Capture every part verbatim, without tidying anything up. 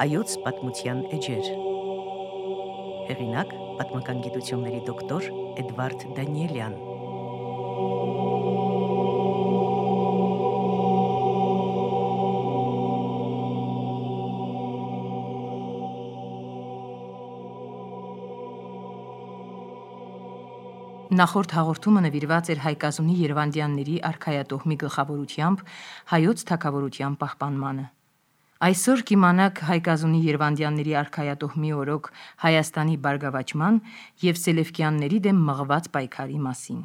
Հայոց պատմության էջեր։ Հեղինակ՝ պատմական գիտությունների դոկտոր Էդվարդ Դանիելյան։ Նախորդ հաղորդումը նվիրված էր Հայկազունի Երևանդյանների արքայատոհմի գլխավորությամբ հայոց թագավորության պահպանմանը։ Այսօր կիմանաք Հայկազունի Երևանդյանների արքայատոհմի օրոք Հայաստանի բարգավաճման և Սելևկյանների դեմ մղված պայքարի մասին։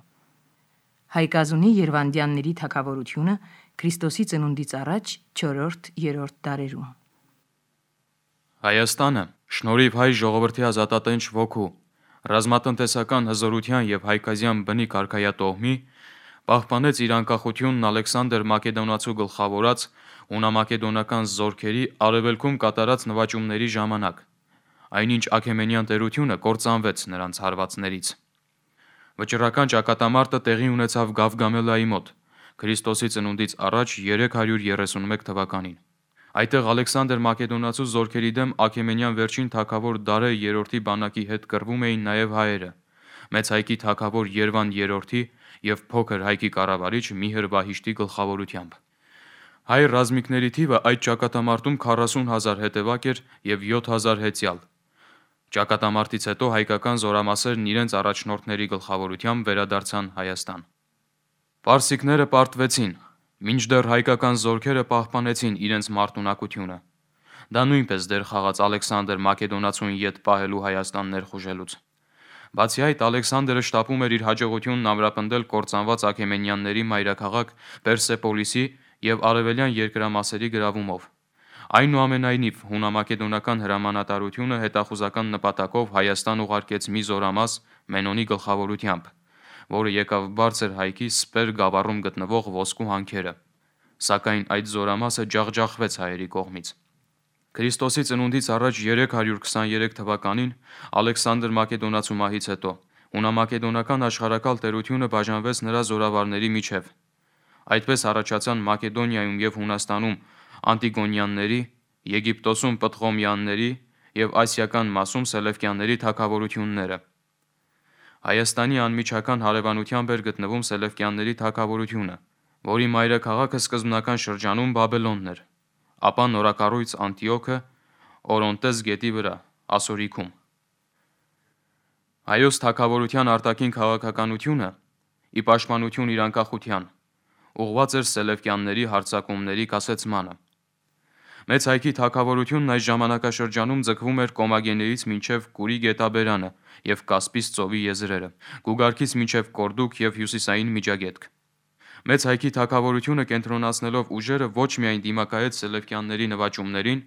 Հայկազունի Երևանդյանների թագավորությունը Քրիստոսի ծնունդից առաջ չորրորդ-երրորդ դարերում։ Հայաստանը, շնորհիվ հայ ժողովրդի ազատատենչ ոգու, ռազմատնտեսական հզորության և հայկազյան բնիկ արքայատոհմի, պահպանեց իր անկախությունն Ալեքսանդր Մակեդոնացու գլխավորած հունամակեդոնական զորքերի արևելքում կատարած նվաճումների ժամանակ, այնինչ Աքեմենյան տերությունը կործանվեց նրանց հարվածներից։ Վճռական ճակատամարտը տեղի ունեցավ Գավգամելայի մոտ, Քրիստոսի ծնունդից առաջ երեք հարյուր երեսունմեկ թվականին։ Այդտեղ Ալեքսանդր Մակեդոնացու զորքերի դեմ Աքեմենյան վերջին թագավոր Դարեյ երրորդի բանակի հետ կռվում էին նաև հայերը, Մեծ Հայկի թագավոր Երվան երրորդի և Փոքր Հայկի կառավարիչ Միհր Վահիշտի գլխավորությամբ։ Հայ ռազմիկների թիվը այդ ճակատամարտում քառասուն հազար հետևակ էր և յոթ հազար հեծյալ։ Ճակատամարտից հետո հայկական զորամասերն իրենց առաջնորդների գլխավորությամբ վերադարձան Հայաստան։ Պարսիկները պարտվեցին, մինչդեռ հայկական զորքերը պահպանեցին իրենց մարտունակությունը։ Դա նույնպես դեր խաղաց Ալեքսանդր Մակեդոնացուն ետ պահելու Հայաստան ներխուժելուց։ Բացի այդ, Ալեքսանդրը շտապում էր իր հաջողությունն ամրապնդել կործանված Աքեմենյանների մայրաքաղաք Պերսեպոլիսի և արևելյան երկրամասերի գրավումով։ Այնուամենայնիվ, հունամակեդոնական հրամանատարությունը հետախուզական նպատակով Հայաստան ուղարկեց մի զորամաս Մենոնի գլխավորությամբ, որը եկավ Բարձր Հայքի Սպեր գավառում գտնվող ոսկու հանքերը, սակայն այդ զորամասը ջախջախվեց հայերի կողմից։ Քրիստոսի ծնունդից առաջ երեք հարյուր քսաներեք թվականին Ալեքսանդր Մակեդոնացու մահից հետո հունամակեդոնական աշխարհակալ տերությունը բաժանվեց նրա զորավարների միջև։ Այդպես առաջացան Մակեդոնիայում և Հունաստանում Անտիգոնյանների, Եգիպտոսում Պտղոմյանների և ասիական մասում Սելևկյանների թագավորությունները։ Հայաստանի անմիջական հարևանությամբ էր գտնվում Սելևկյանների թագավորությունը, որի մայրաքաղաքը սկզբնական շրջանում Բաբելոնն էր, ապա նորակառույց Անտիոքը Օրոնտես գետի վրա, Ասորիքում։ Հայոց թագավորության արտաքին քաղաքականությունը, ի պաշտպանություն իր անկախության, ուղղված էր Սելևկյանների հարձակումների կասեցմանը։ Մեծ Հայքի թագավորությունն այս ժամանակաշրջանում ձգվում էր Կոմագեներից մինչև Կուրի գետաբերանը և Կասպից ծովի եզրերը, Գուգարքից մինչև Կորդուկ և հյուսիսային Միջագետք։ Մեծ Հայքի թագավորությունը կենտրոնացնելով ուժերը ոչ միայն դիմակայեց Սելևկյանների նվաճումներին,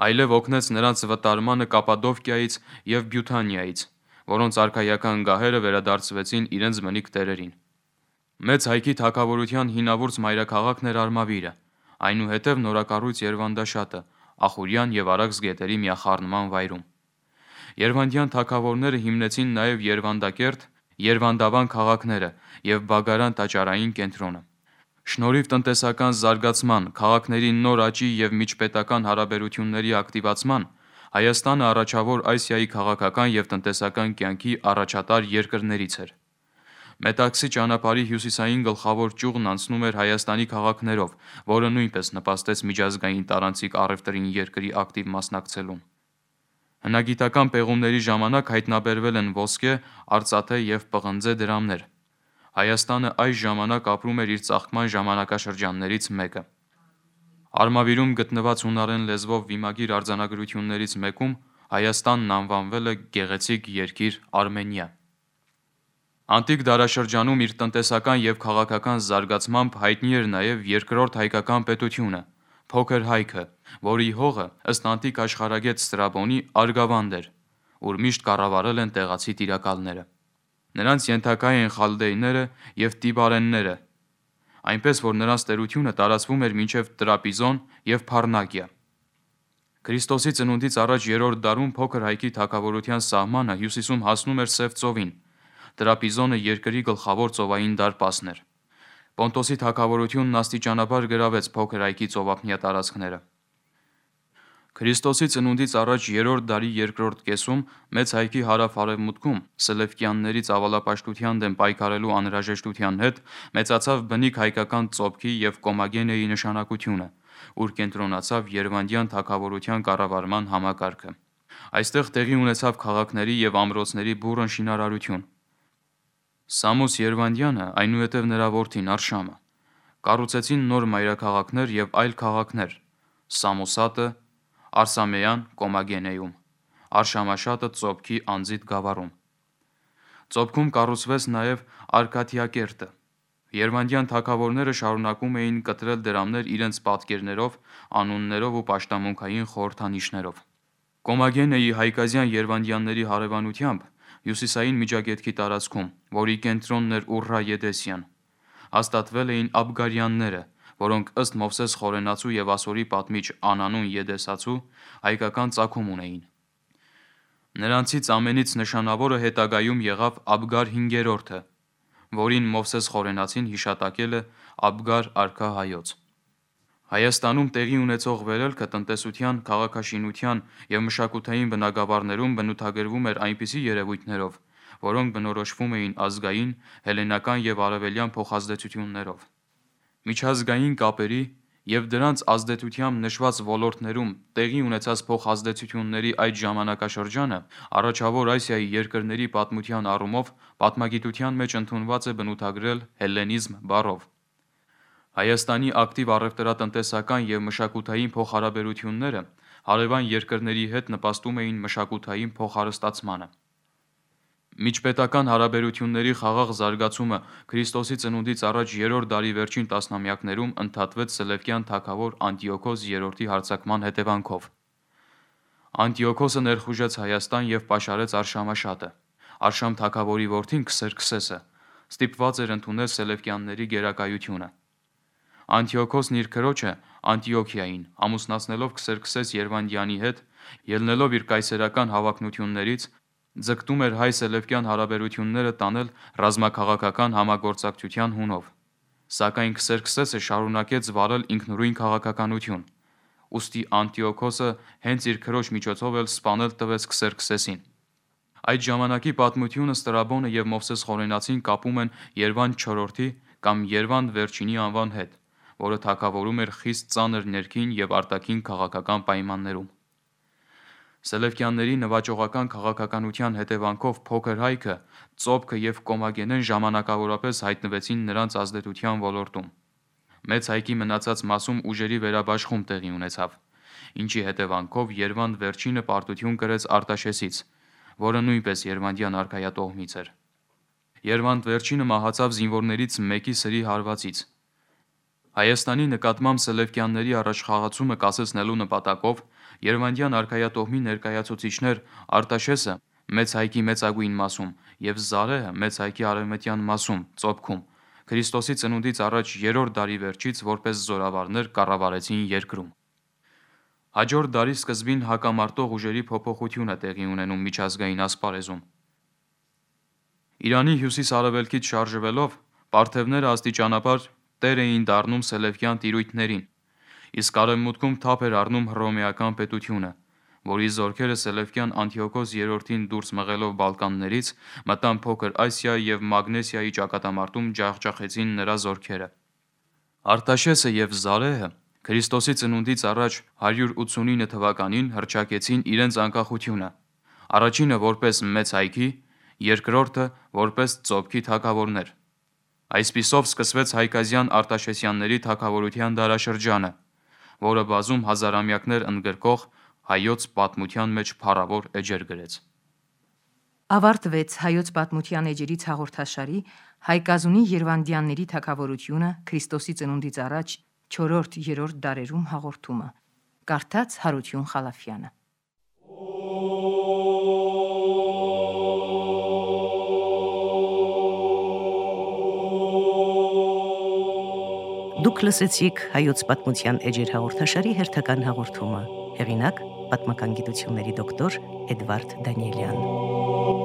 այլև օգնեց նրանց վտարմանը Կապադովկիայից և Բյութանիայից, որոնց արքայական գահերը վերադարձվեցին իրենց բնիկ տերերին։ Մեծ Հայքի թագավորության հինավուրց մայրաքաղաքն էր Արմավիրը, այնուհետև նորակառույց Երվանդաշատը, Ախուրյան և Արաքս գետերի միախառնման վայրում։ Երվանդյան թագավորները հիմնեցին նաև Երվանդակերտ, Երվանդավան քաղաքները և Բագարան տաճարային կենտրոնը։ Շնորհիվ տնտեսական զարգացման, քաղաքների նոր աճի և միջպետական հարաբերությունների ակտիվացման, Հայաստանը առաջավոր Ասիայի քաղաքական և տնտեսական կյանքի առաջատար երկրներից էր։ Մետաքսի ճանապարհի հյուսիսային գլխավոր ճյուղն անցնում էր Հայաստանի քաղաքներով, որը նույնպես նպաստեց միջազգային տարանցիկ առևտրին երկրի ակտիվ մասնակցելուն։ Հնագիտական պեղումների ժամանակ հայտնաբերվել են ոսկե, արծաթե և պղնձե դրամներ։ Հայաստանը այս ժամանակ ապրում էր իր ծաղկման ժամանակաշրջաններից մեկը։ Արմավիրում գտնված հունարեն լեզվով վիմագիր արձանագրություններից մեկում Հայաստանն անվանվել է գեղեցիկ երկիր Արմենիա։ Անտիկ դարաշրջանում իր տնտեսական և քաղաքական զարգացմամբ հայտնի էր նաև երկրորդ հայկական պետությունը՝ Փոքր Հայքը, որի հողը, ըստ անտիկ աշխարհագետ Ստրաբոնի, Արգավանդ էր, ուր միշտ կառավարել են տեղացի տիրակալները։ Նրանց ենթակա էին խալդեյները և տիբարենները, այնպես որ նրանց տերությունը տարածվում էր մինչև Տրապիզոն և Փարնակիա։ Քրիստոսի ծնունդից առաջ երրորդ դարում Փոքր Հայքի թագավորության սահմանը հյուսիսում հասնում էր Սև ծովին։ Տրապիզոնը երկրի գլխավոր ծովային դարպասն էր։ Պոնտոսի թագավորությունն աստիճանաբար գրավեց Փոքր Հայքի ծովափնյա տարածքները։ Քրիստոսի ծնունդից առաջ երրորդ դարի երկրորդ կեսում մեծ հայքի հարավ-արևմուտքում սելևկյանների ծավալապաշտության դեմ պայքարելու անհրաժեշտության հետ մեծացավ բնիկ հայկական ծոփքի և կոմագենեի նշանակությունը, ուր կենտրոնացավ Երևանյան թագավորության կառավարման համակարգը։ Այստեղ տեղի ունեցավ քաղաքների և ամրոցների բուռն շինարարություն։ Սամուս Երվանդյանը, այնուհետև նրա որդին Արշամը, կառուցեցին նոր մայրաքաղաքներ և այլ քաղաքներ՝ Սամոսատը, Արսամեյան Կոմագենեում, Արշամաշատը Ծոփքի անձիդ գավառում։ Ծոփքում կառուցվեց նաև Արկադիակերտը։ Երվանդյան թագավորները շարունակում էին կտրել դրամներ իրենց պատկերներով, անուններով ու պաշտամունքային խորհրդանիշներով։ Կոմագենեի հայկազյան երվանդյանների հարևանությամբ հյուսիսային Միջագետքի տարածքում, որի կենտրոնն էր Ուռռա Եդեսյան, հաստատվել էին աբգարյանները, որոնք ըստ Մովսես Խորենացու և Ասորի պատմիչ Անանուն Եդեսացու հայկական ծագում ունեին։ Նրանցից ամենից նշանավորը հետագայում եղավ Աբգար հինգերորդը, որին Մովսես Խորենացին հիշատակել է Աբգար արքա հայոց։ Հայաստանում տեղի ունեցող վերելքը տնտեսության, քաղաքաշինության և մշակութային բնագավառներում բնութագրվում էր այնպիսի երևույթներով, որոնք բնորոշվում էին ազգային, հելլենական և արևելյան փոխազդեցություններով։ Միջազգային կապերի և դրանց ազդեցությամբ նշված ոլորտներում տեղի ունեցած փոխազդեցությունների այդ ժամանակաշրջանը Առաջավոր Ասիայի երկրների պատմության առումով պատմագիտության մեջ ընդունված է բնութագրել հելլենիզմ բառով։ Հայաստանի ակտիվ առևտրատնտեսական և մշակութային փոխհարաբերությունները հարևան երկրների հետ նպաստում էին մշակութային փոխհարստացմանը։ Միջպետական հարաբերությունների խաղաղ զարգացումը Քրիստոսի ծնունդից առաջ երրորդ դարի վերջին տասնամյակներում ընդհատվեց Սելևկյան թագավոր Անտիոքոս երրորդի հարձակման հետևանքով։ Անտիոքոսը ներխուժեց Հայաստան և պաշարեց Արշամաշատը։ Արշամ թագավորի որդին Քսերքսեսը ստիպված էր ընդունել սելևկյանների գերակայությունը։ Անտիոքոսն իր քրոջը Անտիոքիային ամուսնացնելով Քսերքսես Երվանդյանի հետ, ելնելով իր կայսերական հավակնություններից, ձգտում էր հայ-սելևկյան հարաբերությունները տանել ռազմաքաղաքական համագործակցության հունով։ Սակայն Քսերքսեսը շարունակեց վարել ինքնուրույն քաղաքականություն, ուստի Անտիոքոսը հենց իր քրոջ միջոցով էլ սպանել տվեց Քսերքսեսին։ Այդ ժամանակի պատմությունը Ստրաբոնը և Մովսես Խորենացին կապում են Երվանդ չորրորդի կամ Երվանդ վերջինի անվան հետ, որը թագավորում էր խիստ ծանր ներքին և արտաքին քաղաքական պայմաններում։ Սելևկյանների նվաճողական քաղաքականության հետևանքով փոքր հայքը, Ծոփքը և Կոմագենեն ժամանակավորապես հայտնվեցին նրանց ազդեցության ոլորտում։ Մեծ հայքի մնացած մասում ուժերի վերաբաշխում տեղի ունեցավ, ինչի հետևանքով Երվանդ վերջինը պարտություն կրեց Արտաշեսից, որը նույնպես Երվանդյան արքայատոհմից էր։ Երվանդ վերջինը մահացավ զինվորներից մեկի սրի հարվածից։ Հայաստանի նկատմամբ սելևկյանների առաջխաղացումը կասեցնելու նպատակով Երվանդյան արքայատոհմի ներկայացուցիչներ Արտաշեսը մեծ հայքի մեծագույն մասում և Զարեհը մեծ հայքի արևմտյան մասում Ծոփքում Քրիստոսի ծնունդից առաջ երրորդ դարի վերջից որպես զորավարներ կառավարեցին երկրում։ Հաջորդ դարի սկզբին հակամարտող ուժերի փոփոխություն է տեղի ունենում միջազգային ասպարեզում։ Իրանի հյուսիս-արևելքից շարժվելով պարթևները աստիճանաբար տեր էին դառնում սելևկյան տիրույթներին, իսկ արևմուտքում թափ էր առնում հռոմեական պետությունը, որի զորքերը Սելևկյան Անտիոքոս երրորդին դուրս մղելով Բալկաններից մտան Փոքր Ասիա և Մագնեսիայի ճակատամարտում ջախջախեցին նրա զորքերը։ Արտաշեսը և Զարեհը Քրիստոսի ծնունդից առաջ հարյուր ութսունինը թվականին հռչակեցին իրենց անկախությունը, առաջինը որպես մեծ հայքի, երկրորդը որպես Ծոփքի թագավորներ։ Այսպիսով սկսվեց հայկազյան Արտաշեսյանների թագավորության դարաշրջանը, որը բազում հազարամյակներ ընդգրկող հայոց պատմության մեջ փառավոր էջեր գրեց։ Ավարտվեց հայոց պատմության էջերից հաղորդաշարի Հայկազունի Երվանդյանների թագավորությունը Քրիստոսի ծնունդից առաջ չորրորդ-երրորդ դարերում հաղորդումը։ Կարդաց Հարություն Խալափյանը։ Դուք լսեցիք հայոց պատմության էջեր հաղորդաշարի հերթական հաղորդումը։ Հեղինակ՝ պատմական գիտությունների դոկտոր Էդվարդ Դանիելյան։